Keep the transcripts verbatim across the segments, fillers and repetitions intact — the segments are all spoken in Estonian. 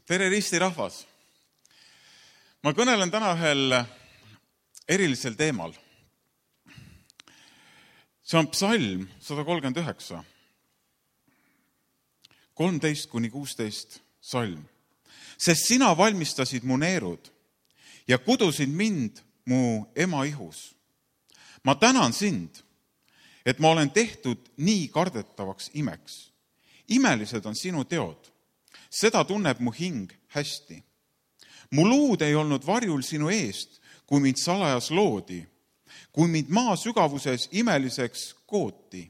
Tere Risti rahvas! Ma kõnelen täna ühel erilisel teemal. See on psalm sada kolmkümmend üheksa, kolmteist kuni kuusteist salm. Sest sina valmistasid mu neerud ja kudusid mind mu ema ihus. Ma tänan sind, et ma olen tehtud nii kardetavaks imeks. Imelised on sinu teod. Seda tunneb mu hing hästi. Mu luud ei olnud varjul sinu eest, kui mind salajas loodi, kui mind maa sügavuses imeliseks kooti.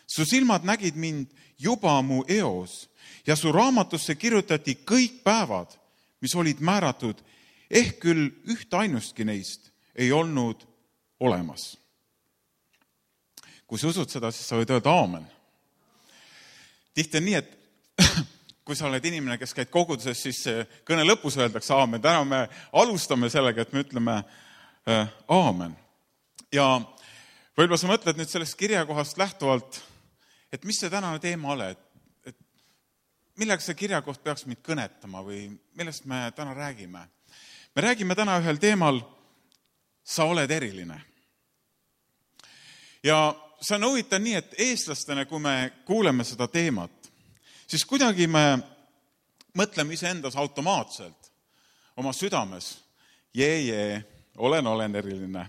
Su silmad nägid mind juba mu eos ja su raamatusse kirjutati kõik päevad, mis olid määratud, ehk küll üht ainustki neist ei olnud olemas. Kui sa usud seda, siis sa võid öelda aamen. Tihti on nii, et kui sa oled inimene, kes käid koguduses, siis kõne lõpus öeldakse aamen. Täna me alustame sellega, et me ütleme äh, aamen. Ja võib-olla sa mõtled nüüd sellest kirjakohast lähtuvalt, et mis see tänane teema ole, et, et millega see kirjakoht peaks meid kõnetama või millest me täna räägime. Me räägime täna ühel teemal, sa oled eriline. Ja see on huvitav nii, et eestlastena, kui me kuuleme seda teemat, siis kuidagi me mõtleme iseendas automaatselt oma südames, jee, jee, olen, olen eriline.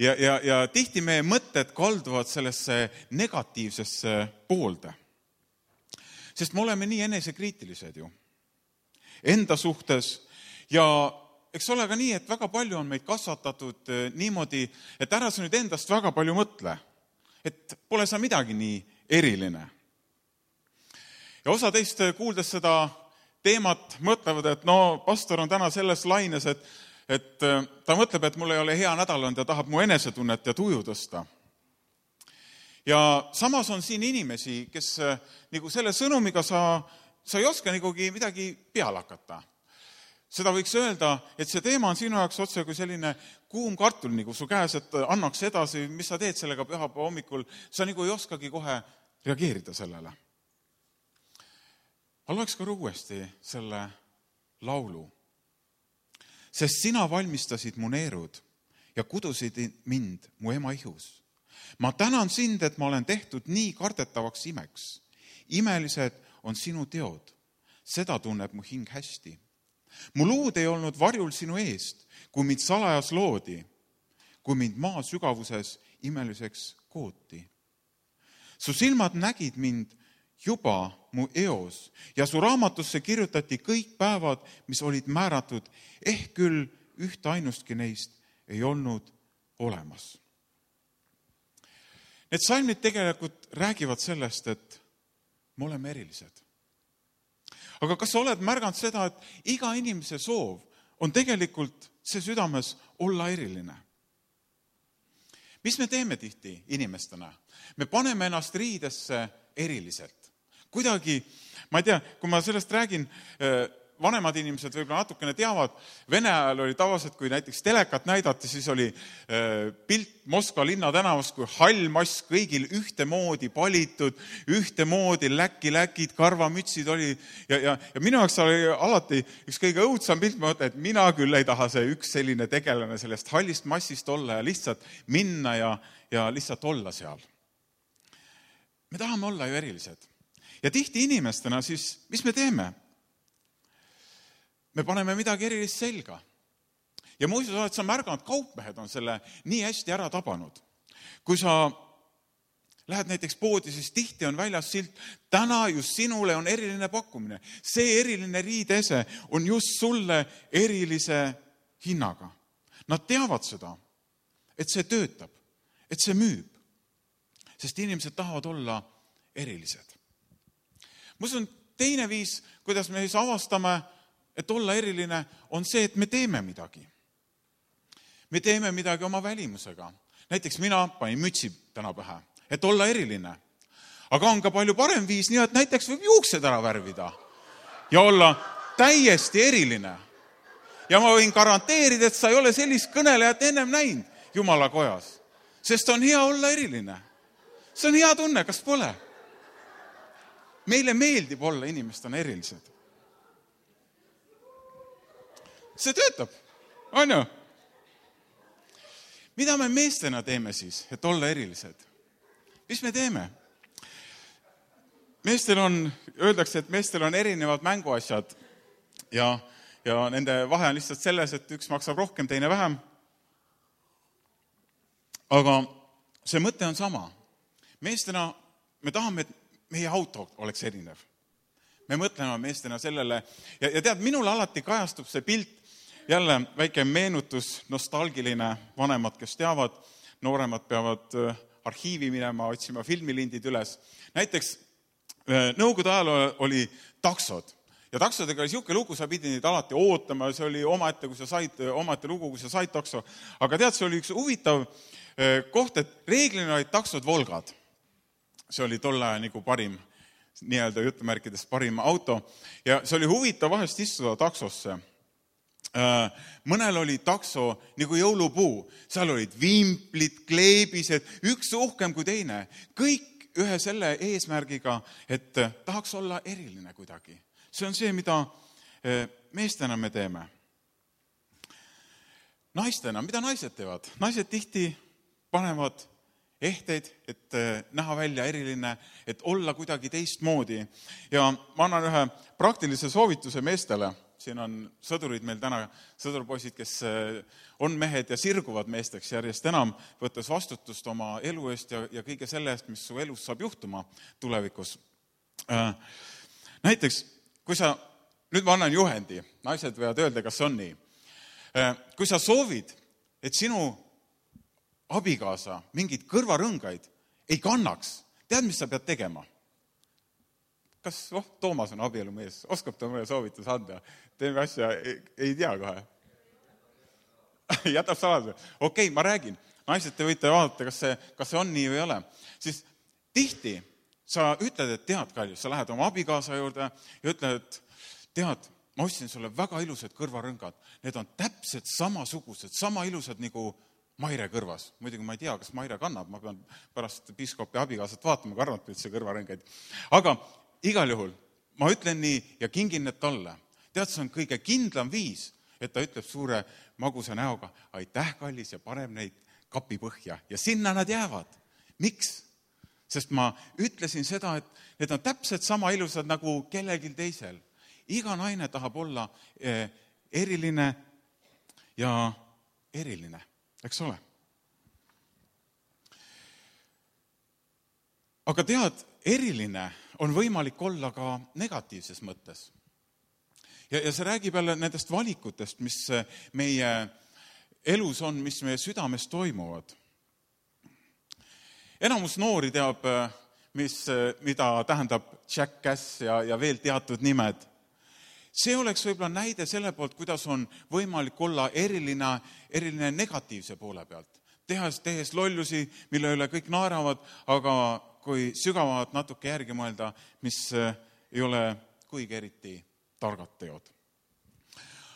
Ja, ja, ja tihti meie mõtted kalduvad sellesse negatiivsesse poolde. Sest me oleme nii enesekriitilised ju enda suhtes ja eks ole ka nii, et väga palju on meid kasvatatud niimoodi, et ära sa nüüd endast väga palju mõtle, et pole sa midagi nii eriline. Ja osa teist kuuldes seda teemat mõtlevad, et no pastor on täna selles laines, et, et ta mõtleb, et mul ei ole hea nädal olnud ja tahab mu enesetunnet ja tuju tõsta. Ja samas on siin inimesi, kes nagu selle sõnumiga sa, sa ei oska nigugi midagi peale hakata. Seda võiks öelda, et see teema on sinu jaoks otse kui selline kuum kartul nagu su käes, et annaks edasi, mis sa teed sellega pühapäeva hommikul. Sa nagu ei oskagi kohe reageerida sellele. Ma loeks ka uuesti selle laulu. Sest sina valmistasid mu neerud ja kudusid mind mu ema ihus. Ma tänan sind, et ma olen tehtud nii kardetavaks imeks. Imelised on sinu teod. Seda tunneb mu hing hästi. Mu luud ei olnud varjul sinu eest, kui mind salajas loodi, kui mind maa sügavuses imeliseks kooti. Su silmad nägid mind juba mu eos ja su raamatusse kirjutati kõik päevad, mis olid määratud, ehk küll üht ainustki neist ei olnud olemas. Need salmid tegelikult räägivad sellest, et me oleme erilised. Aga kas sa oled märganud seda, et iga inimese soov on tegelikult see südames olla eriline? Mis me teeme tihti inimestena? Me paneme ennast riidesse eriliselt. Kuidagi, ma ei tea, kui ma sellest räägin, vanemad inimesed võib-olla natukene teavad, Vene ajal oli tavaliselt, kui näiteks telekat näidati, siis oli pilt Moskva linna tänavas, kui hall mass kõigil ühtemoodi palitud, ühtemoodi läki-läkid, karvamütsid oli. Ja, ja, ja minu jaoks oli alati üks kõige õudsam pilt, ma mõtlen, et mina küll ei taha see üks selline tegelane sellest hallist massist olla ja lihtsalt minna ja, ja lihtsalt olla seal. Me tahame olla ju erilised. Ja tihti inimestena siis, mis me teeme? Me paneme midagi erilist selga. Ja muuseas oled sa märganud, kaupmehed on selle nii hästi ära tabanud. Kui sa lähed näiteks poodi, siis tihti on väljas silt, täna just sinule on eriline pakkumine. See eriline riidese on just sulle erilise hinnaga. Nad teavad seda, et see töötab, et see müüb. Sest inimesed tahavad olla erilised. Mus on teine viis, kuidas me siis avastame, et olla eriline, on see, et me teeme midagi. Me teeme midagi oma välimusega. Näiteks mina panin mütsi täna pähe, et olla eriline. Aga on ka palju parem viis, nii et näiteks võib juuksed ära värvida ja olla täiesti eriline. Ja ma võin garanteerida, et sa ei ole sellist kõnelejat ennem näinud Jumala kojas. Sest on hea olla eriline. See on hea tunne, kas pole? Meile meeldib olla inimestena erilised. see töötab, on ju? Mida me meestena teeme siis, et olla erilised? Mis me teeme? Meestel on, öeldakse, et meestel on erinevad mänguasjad ja, ja nende vahe on lihtsalt selles, et üks maksab rohkem, teine vähem. Aga see mõte on sama. Meestena me tahame, et meie auto oleks erinev. Me mõtleme meestena sellele ja, ja tead, minul alati kajastub see pilt, jälle väike meenutus, nostalgiline, vanemad, kes teavad, nooremad peavad arhiivi minema, otsima filmilindid üles. Näiteks Nõukogude ajal oli taksod ja taksodega oli siuke lugu, sa pidi neid alati ootama, see oli omaette, kui sa said, omaette lugu, kui sa said takso. Aga tead, see oli üks huvitav koht, et reeglina olid taksod Volgad. See oli tolle aja nagu parim, nii-öelda jutumärkides parim auto ja see oli huvitav vahest istuda taksosse. Mõnel oli takso nagu jõulupuu, seal olid vimplid, kleebised, üks uhkem kui teine, kõik ühe selle eesmärgiga, et tahaks olla eriline kuidagi. See on see, mida meestena me teeme. Naistena, mida naised teevad? Naised tihti panevad ehteid, et näha välja eriline, et olla kuidagi teistmoodi. Ja ma annan ühe praktilise soovituse meestele. Siin on sõdurid meil täna, sõdurpoisid, kes on mehed ja sirguvad meesteks järjest enam, võttes vastutust oma elu eest ja, ja kõige selle eest, mis su elus saab juhtuma tulevikus. Näiteks, kui sa, nüüd ma annan juhendi, naised võivad öelda, kas on nii. Kui sa soovid, et sinu abikaasa mingid kõrvarõngaid ei kannaks, tead, mis sa pead tegema? Kas, oh, Toomas on abielumees, oskab ta mulle soovitus anda? Teeme asja, ei, ei tea kohe. Jätab saladuse. Okei, ma räägin. Naised, te võite vaadata, kas see, kas see on nii või ei ole. Siis tihti sa ütled, et tead, Kalju, sa lähed oma abikaasa juurde ja ütled, et tead, ma ostsin sulle väga ilusad kõrvarõngad. Need on täpselt samasugused, sama ilusad nagu Maire kõrvas. Muidugi ma ei tea, kas Maire kannab, ma pean pärast piiskopi abikaasat vaatama, karnab üldse kõrvarõngaid. Aga igal juhul, ma ütlen nii ja kingin need talle. Tead, see on kõige kindlam viis, et ta ütleb suure magusa näoga, aitäh, kallis, ja paneb neid kapi põhja. Ja sinna nad jäävad. Miks? Sest ma ütlesin seda, et need on täpselt sama ilusad nagu kellelgi teisel. Iga naine tahab olla eriline ja eriline, eks ole. Aga tead, eriline on võimalik olla ka negatiivses mõttes. Ja, ja see räägib jälle nendest valikutest, mis meie elus on, mis meie südames toimuvad. Enamus noori teab, mis, mida tähendab jackass ja, ja veel teatud nimed. See oleks võib-olla näide selle poolt, kuidas on võimalik olla eriline, eriline negatiivse poole pealt. Tehas, tehes lollusi, mille üle kõik naeravad, aga kui sügavalt natuke järgi mõelda, mis ei ole kuigi eriti targad teod.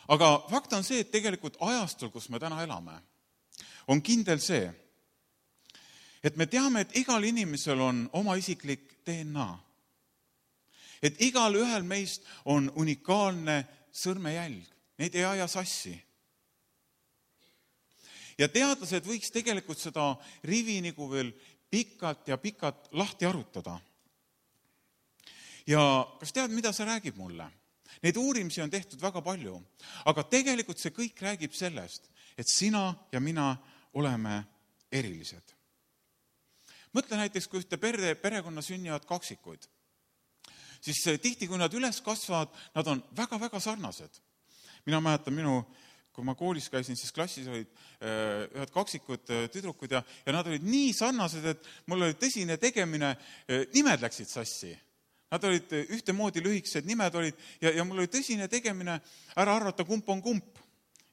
Aga fakt on see, et tegelikult ajastul, kus me täna elame, on kindel see, et me teame, et igal inimesel on oma isiklik D N A. Et igal ühel meist on unikaalne sõrmejälg. Neid ei aja sassi. Ja teadlased võiks tegelikult seda rivi nagu veel pikalt ja pikalt lahti arutada. Ja kas tead, mida see räägib mulle? Neid uurimisi on tehtud väga palju, aga tegelikult see kõik räägib sellest, et sina ja mina oleme erilised. Mõtle näiteks, kui ühte pere, perekonna sünnivad kaksikuid, siis tihti, kui nad üles kasvavad, nad on väga-väga sarnased. Mina mäletan minu, kui ma koolis käisin, siis klassis olid ühed kaksikud tüdrukud ja, ja nad olid nii sarnased, et mul oli tõsine tegemine, nimed läksid sassi. Nad olid ühtemoodi lühikesed, nimed olid ja, ja mul oli tõsine tegemine ära arvata, kump on kump.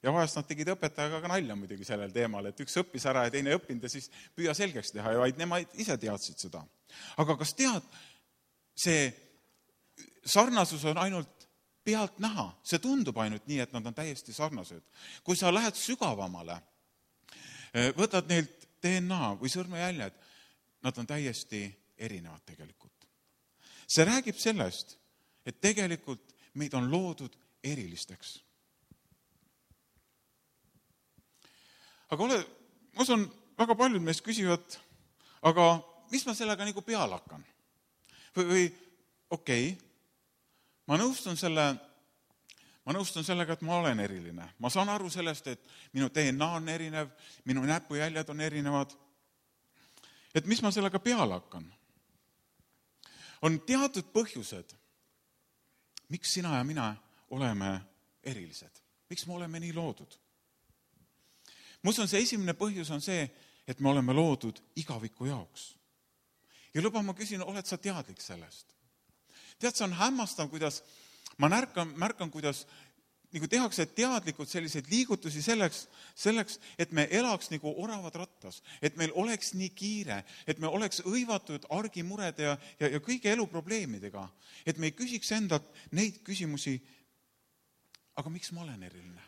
Ja vahest nad tegid õpetajaga ka nalja muidugi sellel teemal, et üks õppis ära ja teine õppinud ja siis püüa selgeks teha ja vaid nemad ise teadsid seda. Aga kas tead, see sarnasus on ainult pealt näha, see tundub ainult nii, et nad on täiesti sarnased. Kui sa lähed sügavamale, võtad neilt D N A või sõrmejäljed, nad on täiesti erinevad tegelikult. See räägib sellest, et tegelikult meid on loodud erilisteks. aga ole, ma usun, väga paljud meist küsivad, aga mis ma sellega nagu peale hakkan? Või, või okei, okay, ma nõustun selle, ma nõustun sellega, et ma olen eriline. Ma saan aru sellest, et minu D N A on erinev, minu näpujäljed on erinevad. Et mis ma sellega peale hakkan? On teatud põhjused, miks sina ja mina oleme erilised. Miks me oleme nii loodud? Ma usun, see esimene põhjus on see, et me oleme loodud igaviku jaoks. Ja luba, ma küsin, oled sa teadlik sellest? Tead, see on hämmastav, kuidas ma märkan, märkan kuidas nagu tehakse teadlikult selliseid liigutusi selleks, selleks, et me elaks nagu oravad rattas, et meil oleks nii kiire, et me oleks õivatud argimurede ja, ja, ja kõige eluprobleemidega, et me ei küsiks endalt neid küsimusi, aga miks ma olen eriline?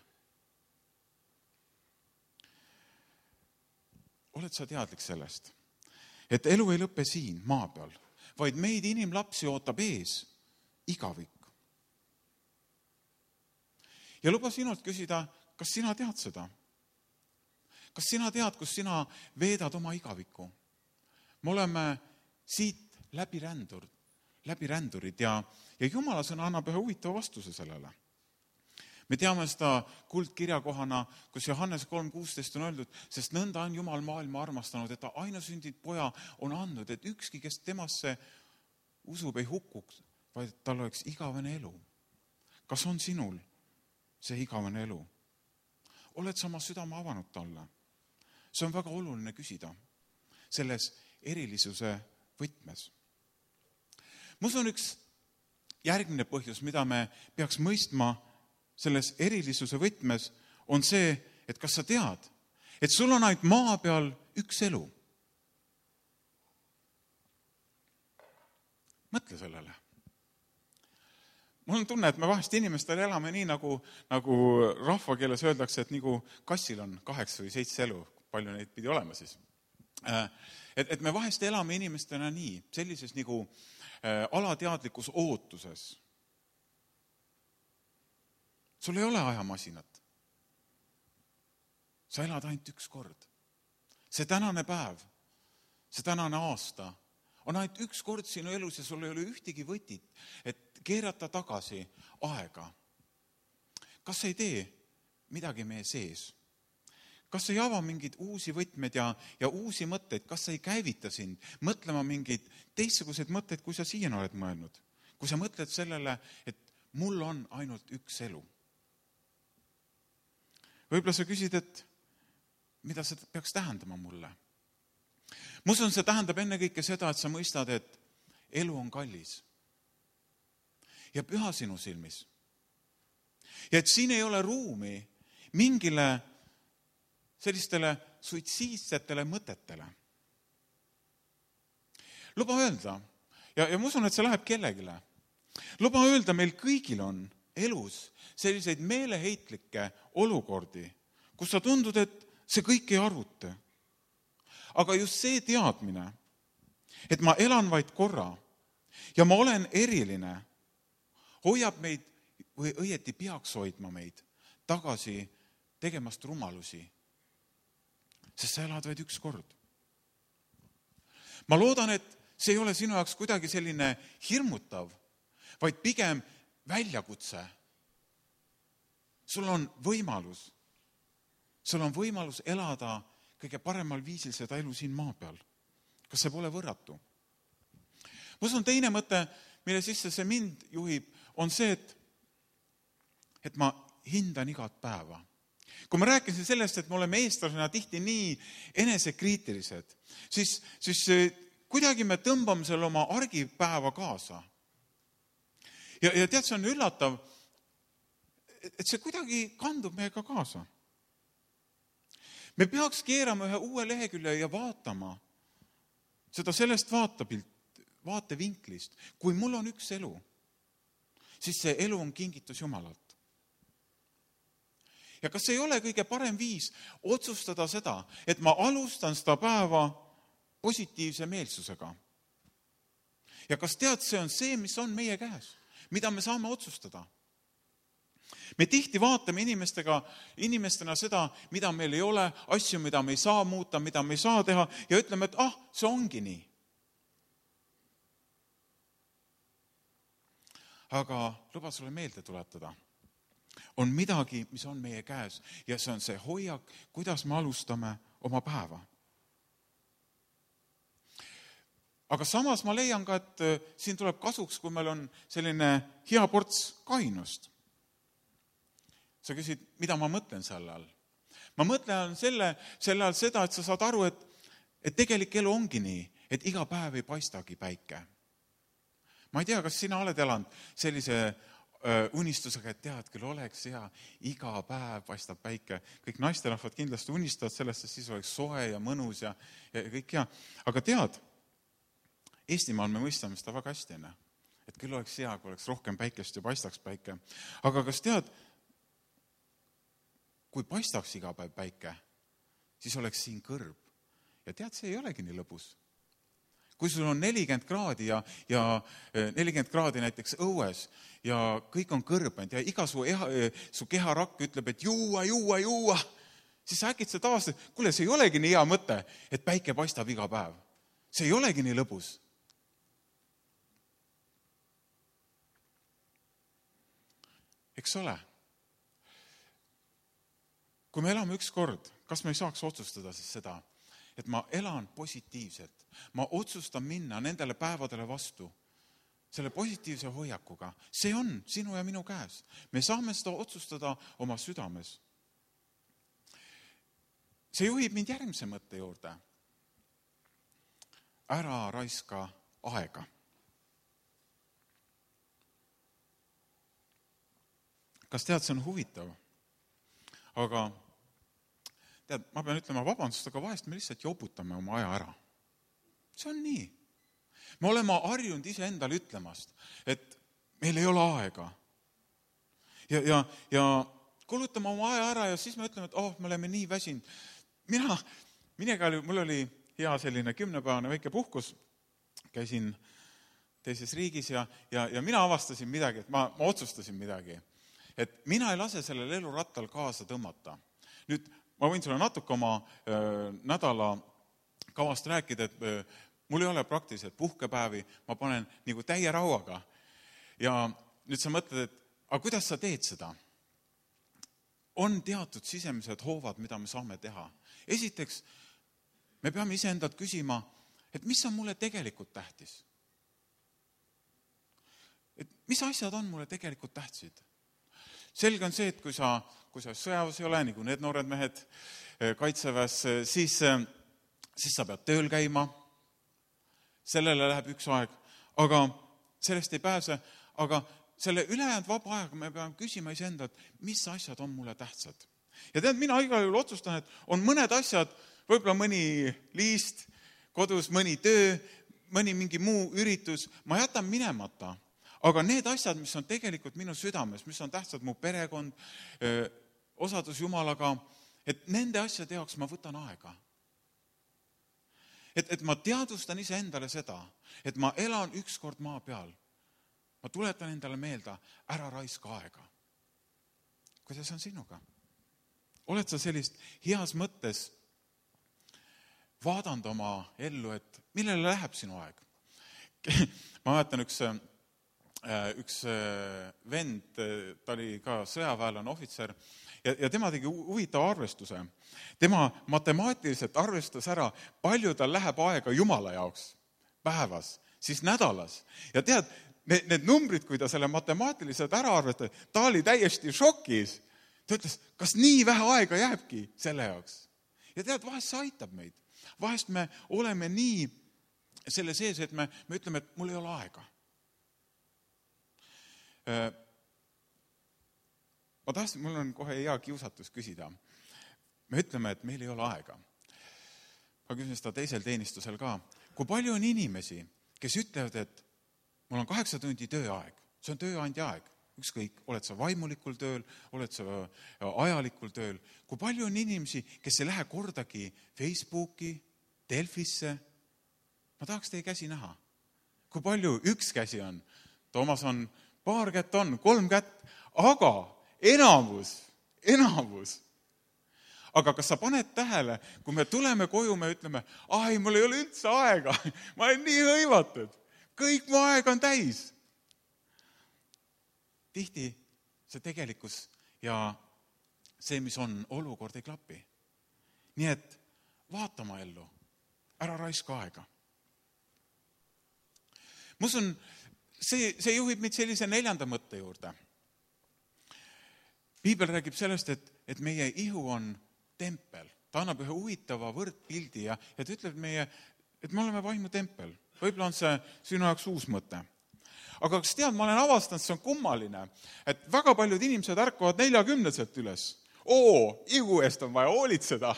Oled sa teadlik sellest, et elu ei lõpe siin maa peal, vaid meid inimlapsi ootab ees igavik. Ja luba sinult küsida, kas sina tead seda? Kas sina tead, kus sina veedad oma igaviku? Me oleme siit läbi rändur, läbi rändurid ja, ja Jumala sõna annab ühe huvitava vastuse sellele. Me teame seda kuldkirjakohana, kus Johannes kolm kuusteist on öeldud, sest nõnda on Jumal maailma armastanud, et ta ainusündid poja on andnud, et ükski, kes temasse usub, ei hukuks, vaid tal oleks igavene elu. Kas on sinul see igavene elu? Oled sa oma südame avanud talle? See on väga oluline küsida selles erilisuse võtmes. Ma usun, üks järgmine põhjus, mida me peaks mõistma selles erilisuse võtmes, on see, et kas sa tead, et sul on ainult maa peal üks elu. Mõtle sellele. Mul on tunne, et me vahest inimestel elame nii, nagu, nagu rahvakeeles öeldakse, et nagu kassil on kaheksa või seitse elu, palju neid pidi olema siis. Et, et me vahest elame inimestena nii, sellises nagu alateadlikus ootuses. Sul ei ole ajamasinat. Sa elad ainult üks kord. See tänane päev, see tänane aasta on ainult üks kord sinu elus ja sul ei ole ühtegi võtit, et keerata tagasi aega. Kas ei tee midagi meie sees? Kas ei ava mingeid uusi võtmed ja, ja uusi mõtteid? Kas ei käivita sind mõtlema mingeid teistsuguseid mõtteid, kui sa siiani oled mõelnud? Kui sa mõtled sellele, et mul on ainult üks elu. Võib-olla sa küsid, et mida see peaks tähendama mulle? Ma usun, see tähendab ennekõike seda, et sa mõistad, et elu on kallis ja püha sinu silmis. Ja et siin ei ole ruumi mingile sellistele suitsiidsetele mõtetele. Luba öelda, ja, ja ma usun, et see läheb kellegile. Luba öelda, meil kõigil on elus selliseid meeleheitlikke olukordi, kus sa tundud, et see kõik ei arvuta. Aga just see teadmine, et ma elan vaid korra ja ma olen eriline, hoiab meid või õieti peaks hoidma meid tagasi tegemast rumalusi. Sest sa elad vaid üks kord. Ma loodan, et see ei ole sinu jaoks kuidagi selline hirmutav, vaid pigem väljakutse. Sul on võimalus, sul on võimalus elada kõige paremal viisil seda elu siin maa peal. Kas see pole võrratu? Ma usun, teine mõte, mille sisse see mind juhib, on see, et, et ma hindan igat päeva. Kui ma rääkisin sellest, et me oleme eestlasena tihti nii enesekriitilised, siis, siis kuidagi me tõmbame selle oma argipäeva kaasa. Ja, ja tead, see on üllatav, et see kuidagi kandub meiega kaasa. Me peaks keerama ühe uue lehekülje ja vaatama seda sellest vaatepilt, vaatevinklist. Kui mul on üks elu, siis see elu on kingitus Jumalalt. Ja kas ei ole kõige parem viis otsustada seda, et ma alustan seda päeva positiivse meelsusega? Ja kas tead, see on see, mis on meie käes, mida me saame otsustada? me tihti vaatame inimestega, inimestena seda, mida meil ei ole, asju, mida me ei saa muuta, mida me ei saa teha ja ütleme, et ah, see ongi nii. Aga luba sulle meelde tuletada. On midagi, mis on meie käes ja see on see hoiak, kuidas me alustame oma päeva. Aga samas ma leian ka, et siin tuleb kasuks, kui meil on selline hea ports kainust. Sa küsid, mida ma mõtlen selle all? Ma mõtlen selle, selle all seda, et sa saad aru, et, et tegelik elu ongi nii, et iga päev ei paistagi päike. Ma ei tea, kas sina oled elanud sellise öö, unistusega, et tead, küll oleks hea, iga päev paistab päike. Kõik naisterahvad kindlasti unistavad sellest, et siis oleks soe ja mõnus ja, ja kõik hea. Aga tead, Eestimaal me mõistame seda väga hästi, enne. Et küll oleks hea, kui oleks rohkem päikest ja paistaks päike. Aga kas tead, kui paistaks iga päev päike, siis oleks siin kõrb. Ja tead, see ei olegi nii lõbus. Kui sul on nelikümmend kraadi ja, ja nelikümmend kraadi näiteks õues ja kõik on kõrbend ja iga su, eha, su keharakk ütleb, et juua, juua, juua, siis sa äkid seda avastad, kuule, see ei olegi nii hea mõte, et päike paistab iga päev. See ei olegi nii lõbus. Eks ole? Kui me elame üks kord, kas me ei saaks otsustada siis seda, et ma elan positiivselt, ma otsustan minna nendele päevadele vastu, selle positiivse hoiakuga. See on sinu ja minu käes. Me saame seda otsustada oma südames. See juhib mind järgmise mõtte juurde. Ära raiska aega. Kas tead, see on huvitav? Aga tead, ma pean ütlema vabandust, aga vahest me lihtsalt joputame oma aja ära. See on nii. Me oleme harjunud ise endale ütlemast, et meil ei ole aega. Ja, ja, ja kulutame oma aja ära ja siis me ütleme, et oh, me oleme nii väsinud. Mina, minega oli, mul oli hea selline kümnepäevane väike puhkus, käisin teises riigis ja, ja, ja mina avastasin midagi, et ma, ma otsustasin midagi. Et mina ei lase sellel elurattal kaasa tõmmata. Nüüd ma võin sulle natuke oma öö, nädala kavast rääkida, et öö, mul ei ole praktiliselt puhkepäevi, ma panen nagu täie rauaga. Ja nüüd sa mõtled, et aga kuidas sa teed seda? On teatud sisemised hoovad, mida me saame teha. Esiteks, me peame iseendalt küsima, et mis on mulle tegelikult tähtis? Et mis asjad on mulle tegelikult tähtsid? Selge on see, et kui sa, kui sa sõjaväes ei ole, nagu need noored mehed kaitseväes, siis, siis sa pead tööl käima. Sellele läheb üks aeg, aga sellest ei pääse. Aga selle ülejäänud vaba aega me peame küsima iseendalt, mis asjad on mulle tähtsad. Ja tead, mina igal juhul otsustan, et on mõned asjad, võib-olla mõni liist kodus, mõni töö, mõni mingi muu üritus, ma jätan minemata. Aga need asjad, mis on tegelikult minu südames, mis on tähtsad mu perekond, öö, osadus Jumalaga, et nende asjade jaoks ma võtan aega. Et, et ma teadvustan ise endale seda, et ma elan ükskord maa peal. Ma tuletan endale meelde, ära raiska aega. Kuidas on sinuga? Oled sa sellist heas mõttes vaadanud oma ellu, et millele läheb sinu aeg? Ma mäletan üks... üks vend, ta oli ka sõjaväelane ohvitser ja, ja tema tegi huvitava arvestuse. Tema matemaatiliselt arvestas ära, palju tal läheb aega Jumala jaoks päevas, siis nädalas. Ja tead, need, need numbrid, kui ta selle matemaatiliselt ära arvestas, ta oli täiesti šokis. Ta ütles, kas nii vähe aega jääbki selle jaoks? Ja tead, vahest see aitab meid. Vahest me oleme nii selle sees, et me, me ütleme, et mul ei ole aega. Ma tahtsin, mul on kohe hea kiusatus küsida. Me ütleme, et meil ei ole aega. Ma küsin seda teisel teenistusel ka. Kui palju on inimesi, kes ütlevad, et mul on kaheksa tundi tööaeg. See on tööandja aeg. Ükskõik, oled sa vaimulikul tööl, oled sa ajalikul tööl. Kui palju on inimesi, kes ei lähe kordagi Facebooki, Delfisse? Ma tahaks teie käsi näha. Kui palju üks käsi on? Toomas on paar kätt on, kolm kätt, aga enamus, enamus. Aga kas sa paned tähele, kui me tuleme koju, me ütleme, ai, mul ei ole üldse aega, ma olen nii hõivatud, kõik mu aeg on täis. Tihti see tegelikkus ja see, mis on, olukord ei klapi. Nii et vaata oma ellu, ära raiska aega. Ma usun, see, see juhib meid sellise neljanda mõtte juurde. Piibel räägib sellest, et, et meie ihu on tempel. Ta annab ühe huvitava võrdpildi ja, ja ta ütleb meie, et me oleme vaimu tempel. Võib-olla on see sinu jaoks uus mõte. Aga kas tead, ma olen avastanud, see on kummaline, et väga paljud inimesed ärkavad neljakümneselt üles. Oo, ihu eest on vaja hoolitseda,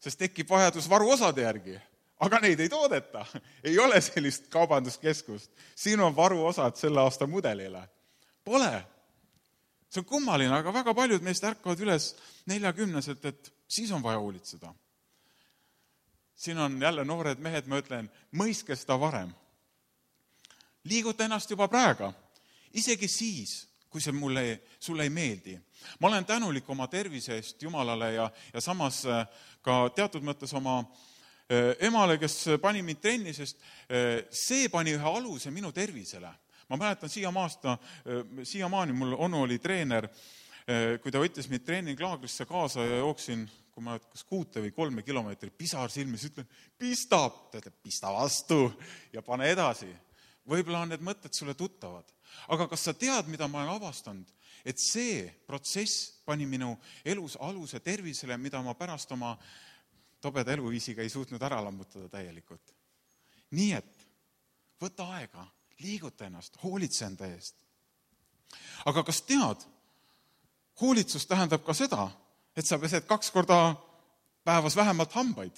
sest tekib vajadus varuosade järgi. Aga neid ei toodeta. Ei ole sellist kaubanduskeskust. Siin on varuosad selle aasta mudelile. Pole. See on kummaline, aga väga paljud meist ärkavad üles neljakümneselt, et siis on vaja hoolitseda. Siin on jälle noored mehed, ma ütlen, mõiske seda varem. Liiguta ennast juba praegu, isegi siis, kui see mulle, sulle ei meeldi. Ma olen tänulik oma tervise eest Jumalale ja, ja samas ka teatud mõttes oma emale, kes pani mind trenni, sest see pani ühe aluse minu tervisele. Ma mäletan siiamaasta, siiamaani mul onu oli treener, kui ta võttis mind treeninglaagrisse kaasa ja jooksin, kui ma kas kuute või kolme kilomeetrit pisar silmis, ütlen, pista, pista vastu ja pane edasi. Võib-olla on need mõtted sulle tuttavad. Aga kas sa tead, mida ma olen avastanud? Et see protsess pani minu elus aluse tervisele, mida ma pärast oma tobeda eluviisiga ei suutnud ära lammutada täielikult. Nii et võta aega, liiguta ennast, hoolitse enda eest. Aga kas tead, hoolitsus tähendab ka seda, et sa pesed kaks korda päevas vähemalt hambaid.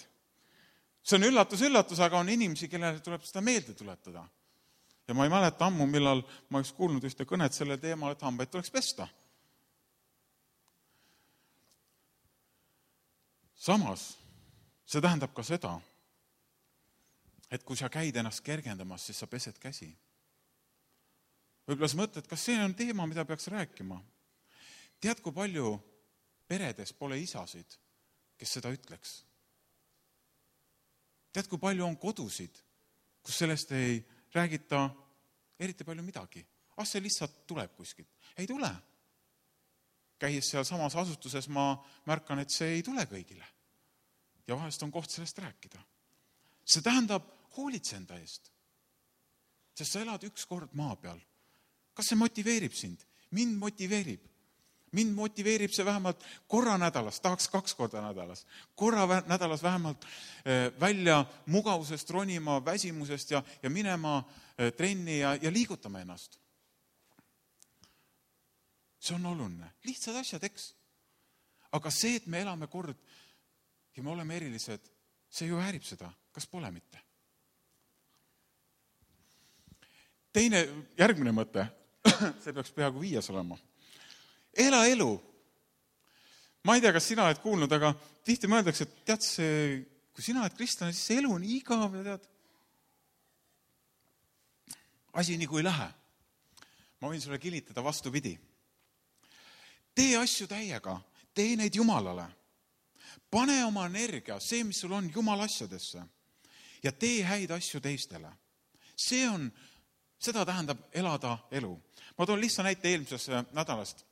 See on üllatus, üllatus, aga on inimesi, kellele tuleb seda meelde tuletada. Ja ma ei mäleta ammu, millal ma oleks kuulnud ühte kõnet selle teemal, et hambaid tuleks pesta. Samas, see tähendab ka seda, et kui sa käid ennast kergendamas, siis sa pesed käsi. Võib-olla sa mõtled, kas see on teema, mida peaks rääkima? Tead, kui palju peredes pole isasid, kes seda ütleks? Tead, kui palju on kodusid, kus sellest ei räägita eriti palju midagi. Ah, see lihtsalt tuleb kuskilt. Ei tule. Käies seal samas asutuses ma märkan, et see ei tule kõigile. Ja vahest on koht sellest rääkida. See tähendab hoolitse enda eest. Sest sa elad üks kord maa peal. Kas see motiveerib sind? Mind motiveerib. Mind motiveerib see vähemalt korra nädalas, tahaks kaks korda nädalas. Korra nädalas vähemalt välja mugavusest ronima, väsimusest ja, ja minema trenni ja, ja liigutama ennast. See on oluline. Lihtsad asjad, eks. Aga see, et me elame kord ja me oleme erilised, see ju häärib seda. Kas pole mitte? Teine, järgmine mõte, see peaks peaaegu viies olema. Ela elu. Ma ei tea, kas sina oled kuulnud, aga tihti mõeldakse, et tead see, kui sina oled kristlane, siis see elu on igav ja tead. Asi nii kui ei lähe. Ma võin sulle kilitada vastupidi. Tee asju täiega, tee neid Jumalale. Pane oma energia, see, mis sul on, Jumala asjadesse ja tee häid asju teistele. See on, seda tähendab elada elu. Ma toon lihtsa näite eelmisest nädalast.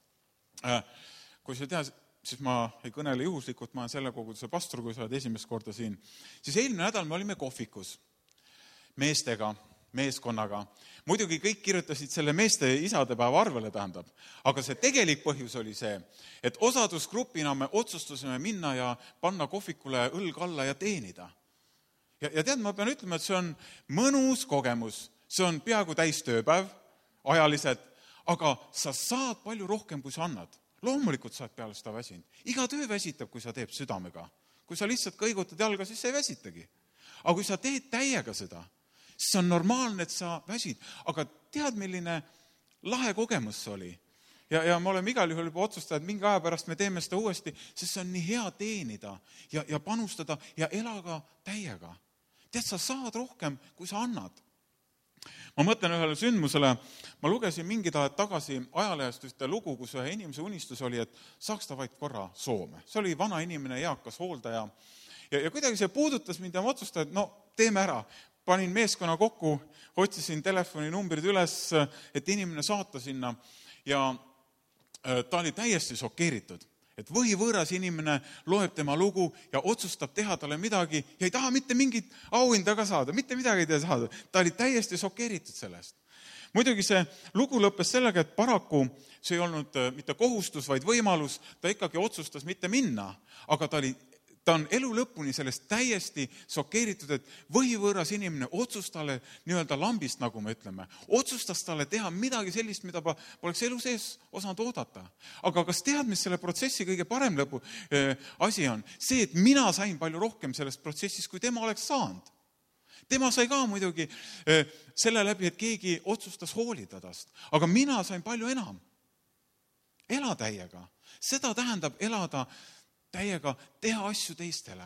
Kui sa tead, siis ma ei kõnele juhuslikult, ma olen selle koguduse pastor, kui sa oled esimest korda siin. Siis eelmine nädal me olime kohvikus meestega, meeskonnaga. Muidugi kõik kirjutasid selle meeste isadepäeva arvele tähendab, aga see tegelik põhjus oli see, et osadusgrupina me otsustusime minna ja panna kohvikule õlg alla ja teenida. Ja, ja tead, ma pean ütlema, et see on mõnus kogemus, see on peaaegu täis tööpäev, ajaliselt, aga sa saad palju rohkem, kui sa annad. Loomulikult saad peale seda väsinud. Iga töö väsitab, kui sa teeb südamega. Kui sa lihtsalt kõigutad jalga, siis sa ei väsitagi. Aga kui sa teed täiega seda, siis on normaalne, et sa väsid. Aga tead, milline lahe kogemus see oli? Ja, ja me oleme igal juhul juba otsustada, et mingi aja pärast me teeme seda uuesti, sest see on nii hea teenida ja, ja panustada ja elaga täiega. Tead, sa saad rohkem, kui sa annad. ma mõtlen ühele sündmusele, ma lugesin mingid ajad tagasi ajalehest ühte lugu, kus ühe inimese unistus oli, et saaks ta vaid korra Soome. See oli vana inimene, eakas hooldaja ja, ja kuidagi see puudutas mind ja ma otsustasin, et no teeme ära. Panin meeskonna kokku, otsisin telefoninumbrid üles, et inimene saata sinna ja ta oli täiesti šokeeritud, et võhivõõras inimene loeb tema lugu ja otsustab teha talle midagi ja ei taha mitte mingit auhinda ka saada, mitte midagi ei taha saada. Ta oli täiesti šokeeritud sellest. Muidugi see lugu lõppes sellega, et paraku see ei olnud mitte kohustus, vaid võimalus, ta ikkagi otsustas mitte minna, aga ta oli Ta on elu lõpuni sellest täiesti šokeeritud, et võhivõõras inimene otsustas talle nii-öelda lambist, nagu me ütleme, otsustas talle teha midagi sellist, mida poleks elu sees osanud oodata. Aga kas tead, mis selle protsessi kõige parem lõpu äh, asi on? See, et mina sain palju rohkem sellest protsessist, kui tema oleks saanud. Tema sai ka muidugi äh, selle läbi, et keegi otsustas hoolida tast. Aga mina sain palju enam. Ela täiega. Seda tähendab elada täiega, teha asju teistele,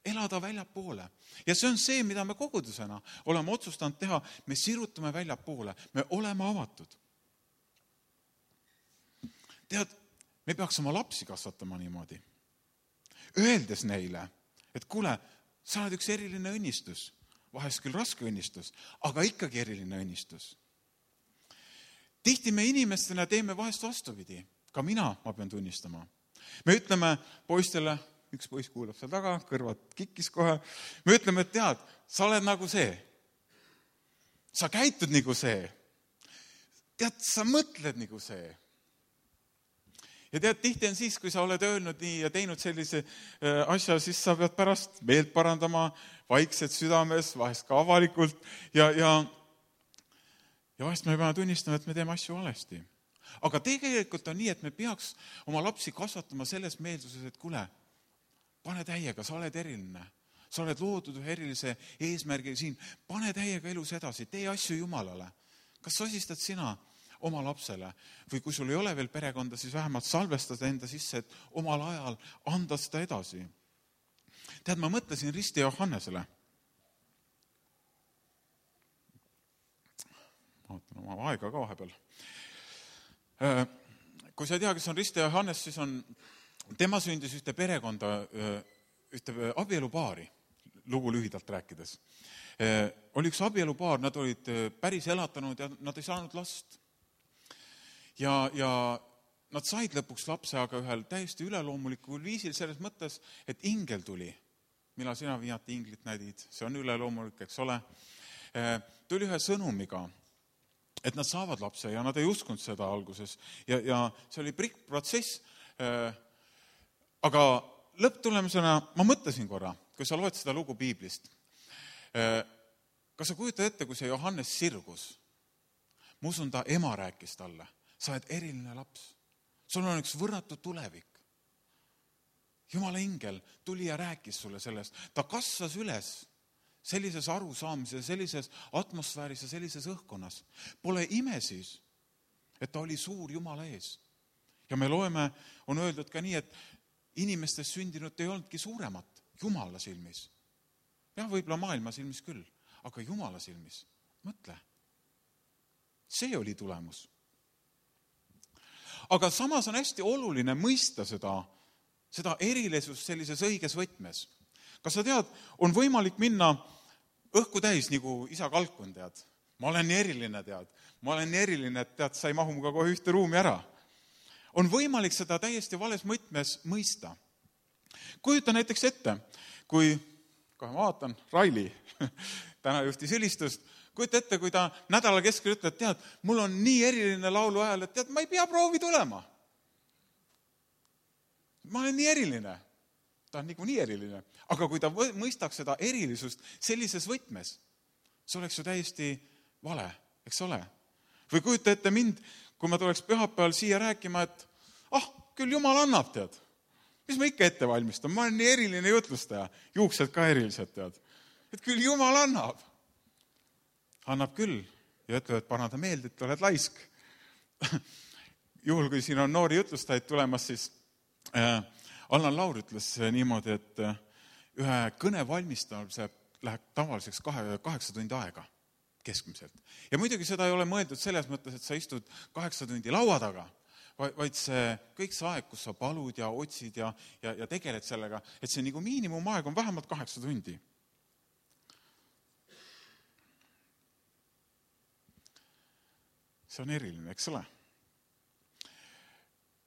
elada väljapoole. Ja see on see, mida me kogudusena oleme otsustanud teha, me sirutame väljapoole, me oleme avatud. Tead, me peaks oma lapsi kasvatama niimoodi. Öeldes neile, et kuule, sa oled üks eriline õnnistus, vahest küll raske õnnistus, aga ikkagi eriline õnnistus. Tihti me inimestena teeme vahest vastupidi, ka mina, ma pean tunnistama. Me ütleme poistele, üks poiss kuulab seal taga, kõrvad kikkis kohe, me ütleme, et tead, sa oled nagu see. Sa käitud nagu see. Tead, sa mõtled nagu see. Ja tead, tihti on siis, kui sa oled öelnud nii ja teinud sellise asja, siis sa pead pärast meelt parandama, vaikselt südames, vahest ka avalikult ja, ja, ja vahest me peame tunnistama, et me teeme asju valesti. Aga tegelikult on nii, et me peaks oma lapsi kasvatama selles meelsuses, et kuule, pane täiega, sa oled eriline. Sa oled loodud ühe erilise eesmärgi siin. Pane täiega elus edasi, tee asju Jumalale. Kas sosistad sina oma lapsele? Või kui sul ei ole veel perekonda, siis vähemalt salvestada enda sisse, et omal ajal anda seda edasi. Tead, ma mõtlesin Risti Johannesele. Ma ootan oma aega ka vahepeal. Kui sa ei tea, kes on Risti Johannes, siis on, tema sündis ühte perekonda, ühte abielupaari, lugu lühidalt rääkides. Oli üks abielupaar, nad olid päris elatanud ja nad ei saanud last. Ja, ja nad said lõpuks lapse, aga ühel täiesti üleloomulikul viisil selles mõttes, et ingel tuli. Millal sina viimati inglit näidid? See on üleloomulik, eks ole. Tuli ühe sõnumiga, et nad saavad lapse ja nad ei uskunud seda alguses. Ja, ja see oli pikk protsess. Aga lõpptulemusena ma mõtlesin korra, kui sa loed seda lugu piiblist. Kas sa kujutad ette, kui see Johannes sirgus? Ma usun, ta ema rääkis talle. Sa oled eriline laps. Sul on üks võrratu tulevik. Jumala ingel tuli ja rääkis sulle sellest. Ta kasvas üles sellises arusaamises, sellises atmosfääris ja sellises õhkkonnas. Pole ime siis, et ta oli suur Jumala ees. Ja me loeme, on öeldud ka nii, et inimestest sündinud ei olnudki suuremat Jumala silmis. Ja võib-olla maailma silmis küll, aga Jumala silmis. Mõtle. See oli tulemus. Aga samas on hästi oluline mõista seda, seda erilisust sellises õiges võtmes. Kas sa tead, on võimalik minna õhku täis, nagu isa kalkun, tead. Ma olen nii eriline, tead. Ma olen nii eriline, et tead, sa ei mahu muga kohe ühte ruumi ära. On võimalik seda täiesti vales mõtmes mõista. Kujuta näiteks ette, kui, kohe ma vaatan, Raili, täna juhtis ülistust, kujuta ette, kui ta nädala keskel ütleb, tead, mul on nii eriline laulu ajal, et tead, ma ei pea proovi tulema. Ma olen nii eriline. Ta on nagu nii eriline. Aga kui ta mõistaks seda erilisust sellises võtmes, see oleks ju täiesti vale, eks ole? Või kujuta ette mind, kui ma tuleks pühapäeval siia rääkima, et ah, küll Jumal annab, tead. Mis ma ikka ette valmistan? Ma olen nii eriline jutlustaja. Juuksed ka erilised, tead. Et küll Jumal annab. Annab küll. Ja ütleb, et paranda meelde, et oled laisk. Juhul, kui siin on noori jutlustajaid tulemas, siis äh, Allan Laur ütles niimoodi, et ühe kõne valmistamise läheb tavaliseks kahe, kaheksa tundi aega. keskmiselt. Ja muidugi seda ei ole mõeldud selles mõttes, et sa istud kaheksa tundi laua taga, vaid see kõik see aeg, kus sa palud ja otsid ja, ja, ja tegeled sellega, et see nagu miinimumaeg on vähemalt kaheksa tundi. See on eriline, eks ole?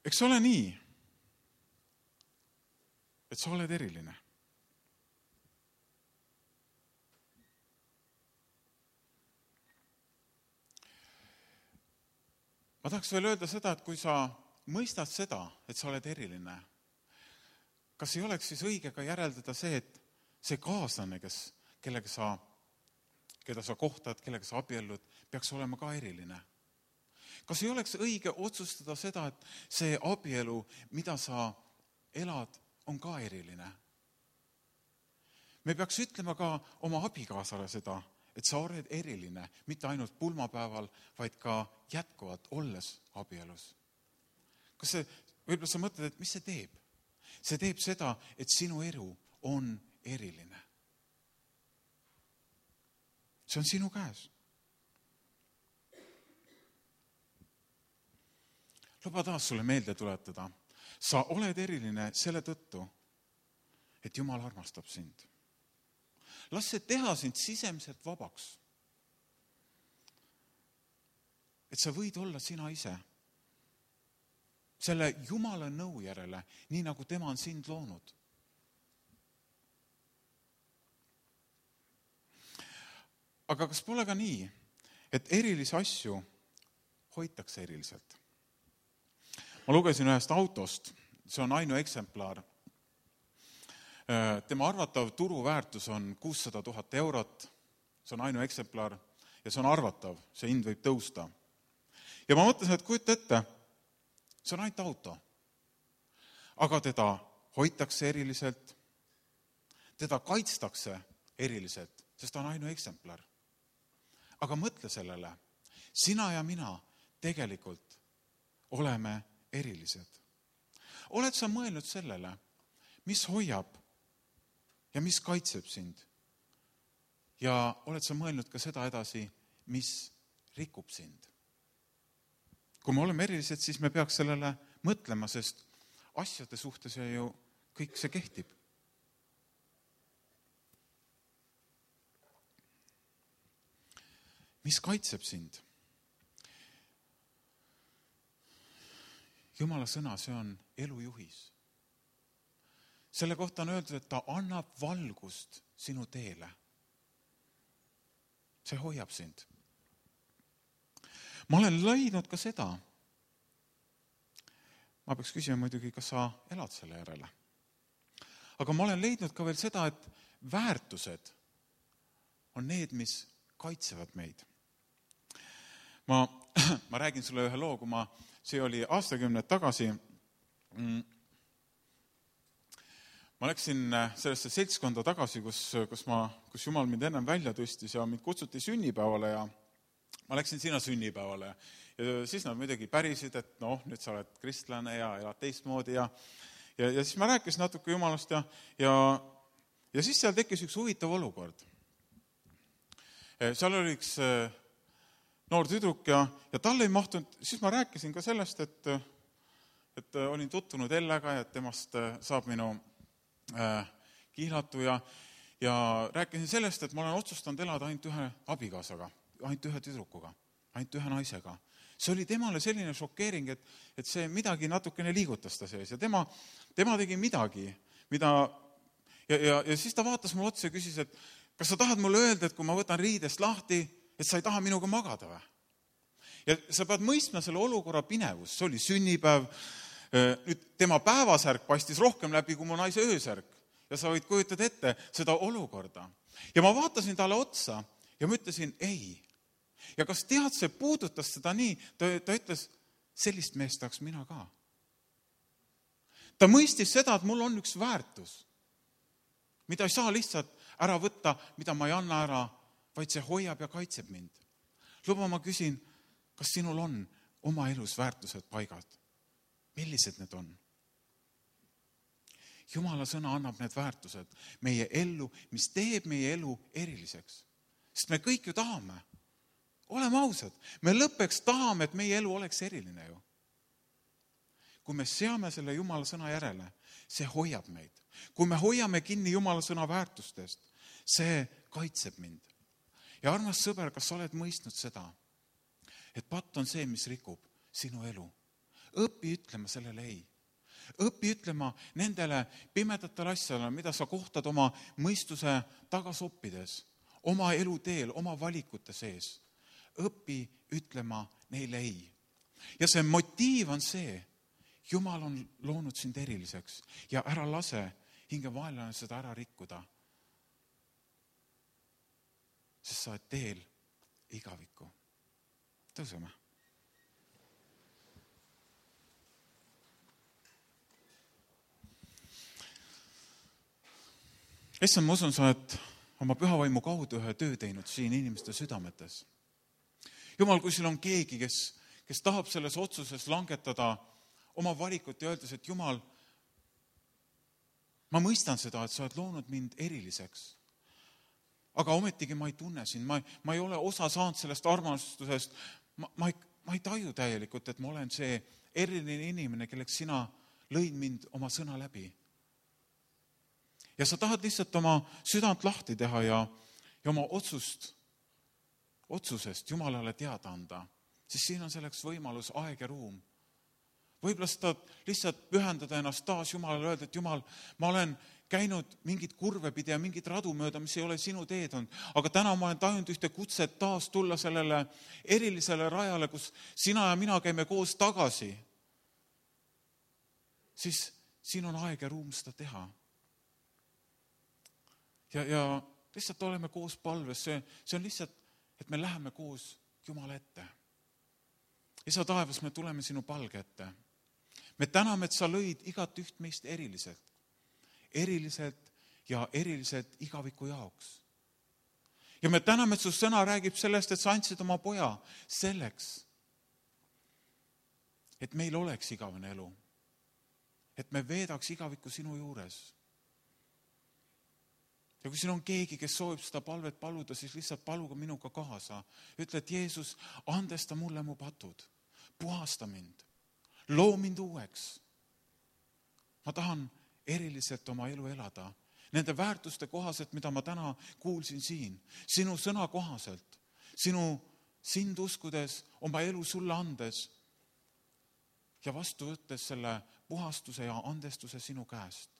Eks ole nii, et sa oled eriline. Ma tahaks veel öelda seda, et kui sa mõistad seda, et sa oled eriline, kas ei oleks siis õige ka järeldada see, et see kaaslane, kes, kellega sa, keda sa kohtad, kellega sa abiellud, peaks olema ka eriline? Kas ei oleks õige otsustada seda, et see abielu, mida sa elad, on ka eriline? Me peaks ütlema ka oma abikaasale seda, et sa oled eriline, mitte ainult pulmapäeval, vaid ka jätkuvalt olles abielus. Kas see, võib-olla sa mõtled, et mis see teeb? See teeb seda, et sinu elu on eriline. See on sinu käes. Luba taas sulle meelde tuletada. Sa oled eriline selle tõttu, et Jumal armastab sind. Las see teha sind sisemiselt vabaks. Et sa võid olla sina ise. Selle Jumala nõu järele, nii nagu tema on sind loonud. Aga kas pole ka nii, et erilisi asju hoitakse eriliselt? Ma lugesin ühest autost, see on ainu eksemplar. Tema arvatav turuväärtus on kuussada tuhat eurot, see on ainu eksemplar ja see on arvatav, see hind võib tõusta. Ja ma mõtlesin, et kujuta ette, see on ainult auto, aga teda hoitakse eriliselt, teda kaitstakse eriliselt, sest ta on ainu eksemplar. Aga mõtle sellele, sina ja mina tegelikult oleme erilised. Oled sa mõelnud sellele, mis hoiab ja mis kaitseb sind? Ja oled sa mõelnud ka seda edasi, mis rikub sind? Kui me oleme erilised, siis me peaks sellele mõtlema, sest asjade suhtes ju kõik see kehtib. Mis kaitseb sind? Jumala sõna, see on elujuhis. Selle kohta on öeldud, et ta annab valgust sinu teele. See hoiab sind. Ma olen leidnud ka seda. Ma peaks küsima muidugi, kas sa elad selle järele. Aga ma olen leidnud ka veel seda, et väärtused on need, mis kaitsevad meid. Ma, ma räägin sulle ühe loo, kui ma see oli aastakümned tagasi. Ma läksin sellesse seltskonda tagasi, kus, kus, ma, kus Jumal mind ennem välja tõstis ja mind kutsuti sünnipäevale ja ma läksin sinna sünnipäevale. Ja siis nad muidugi pärisid, et noh, nüüd sa oled kristlane ja elad teistmoodi ja, ja, ja siis ma rääkisin natuke Jumalast ja, ja, ja siis seal tekkis üks huvitav olukord. Seal oli üks noor tüdruk ja, ja talle ei mahtunud, siis ma rääkisin ka sellest, et, et olin tutvunud Ellega ja et temast saab minu äh, kihlatu ja, ja rääkisin sellest, et ma olen otsustanud elada ainult ühe abikaasaga, ainult ühe tüdrukuga, ainult ühe naisega. See oli temale selline šokeering, et, et see midagi natukene liigutas ta sees ja tema, tema tegi midagi, mida ja, ja, ja siis ta vaatas mulle otsa ja küsis, et kas sa tahad mulle öelda, et kui ma võtan riidest lahti, et sa ei taha minuga magada või? Ja sa pead mõistma selle olukorra pinevus. See oli sünnipäev. Nüüd tema päevasärk paistis rohkem läbi kui mu naise öösärk. Ja sa võid kujutada ette seda olukorda. Ja ma vaatasin talle otsa ja ma ütlesin ei. Ja kas tead, see puudutas seda nii? Ta, ta ütles, sellist meest tahaks mina ka. Ta mõistis seda, et mul on üks väärtus, mida ei saa lihtsalt ära võtta, mida ma ei anna ära, vaid see hoiab ja kaitseb mind. Luba, ma küsin, kas sinul on oma elus väärtused paigad? Millised need on? Jumala sõna annab need väärtused meie ellu, mis teeb meie elu eriliseks. Sest me kõik ju tahame. oleme ausad, me lõppeks tahame, et meie elu oleks eriline ju. Kui me seame selle Jumala sõna järele, see hoiab meid. Kui me hoiame kinni Jumala sõna väärtustest, see kaitseb mind. Ja armas sõber, kas sa oled mõistnud seda, et patt on see, mis rikub sinu elu? Õpi ütlema sellele ei. Õpi ütlema nendele pimedatele asjale, mida sa kohtad oma mõistuse tagasoppides, oma eluteel, oma valikute sees. Õpi ütlema neile ei. Ja see motiiv on see, Jumal on loonud sind eriliseks ja ära lase hinge vaenlane seda ära rikkuda. Sest sa oled teel igavikku. Tõuseme. Issand, ma usun, sa oled oma pühavaimu kaudu ühe töö teinud siin inimeste südametes. Jumal, kui sul on keegi, kes, kes tahab selles otsuses langetada oma valikut ja öeldes, et Jumal, ma mõistan seda, et sa oled loonud mind eriliseks. Aga ometigi ma ei tunne sind, ma, ma ei ole osa saanud sellest armastusest, ma, ma, ei, ma ei taju täielikult, et ma olen see eriline inimene, kelleks sina lõid mind oma sõna läbi. Ja sa tahad lihtsalt oma südant lahti teha ja, ja oma otsust, otsusest Jumalale teada anda, siis siin on selleks võimalus aeg ja ruum. Võib-olla sa tahad lihtsalt pühendada ennast taas Jumalale öelda, et Jumal, ma olen käinud mingit kurve pidi ja mingit radu mööda, mis ei ole sinu teed olnud. Aga täna ma olen tajunud ühte kutset taas tulla sellele erilisele rajale, kus sina ja mina käime koos tagasi. Siis siin on aeg ja ruum seda teha. Ja, ja lihtsalt oleme koos palves. See, see on lihtsalt, et me läheme koos Jumala ette. Isa taevas, me tuleme sinu palge ette. Me täname, et sa lõid igat üht meist eriliselt. Eriliselt ja eriliselt igaviku jaoks. Ja me täname, et su sõna räägib sellest, et sa andsid oma poja selleks, et meil oleks igavene elu. Et me veedaks igaviku sinu juures. Ja kui siin on keegi, kes soovib seda palvet paluda, siis lihtsalt paluga minuga kaasa. Ütle, et Jeesus, andesta mulle mu patud. Puhasta mind. Loo mind uueks. Ma tahan eriliselt oma elu elada. Nende väärtuste kohaselt, mida ma täna kuulsin siin. Sinu sõna kohaselt. Sinu sind uskudes, oma elu sulle andes. Ja vastu võttes selle puhastuse ja andestuse sinu käest.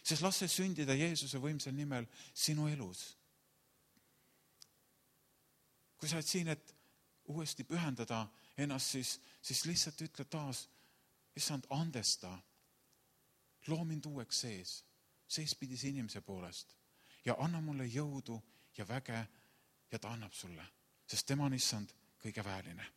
Sest las see sündida Jeesuse võimsal nimel sinu elus. Kui sa oled siin, et uuesti pühendada ennast, siis, siis lihtsalt ütle taas, issand, andesta, loo mind uueks sees, seespidise inimese poolest ja anna mulle jõudu ja väge ja ta annab sulle, sest tema on issand kõige vääline.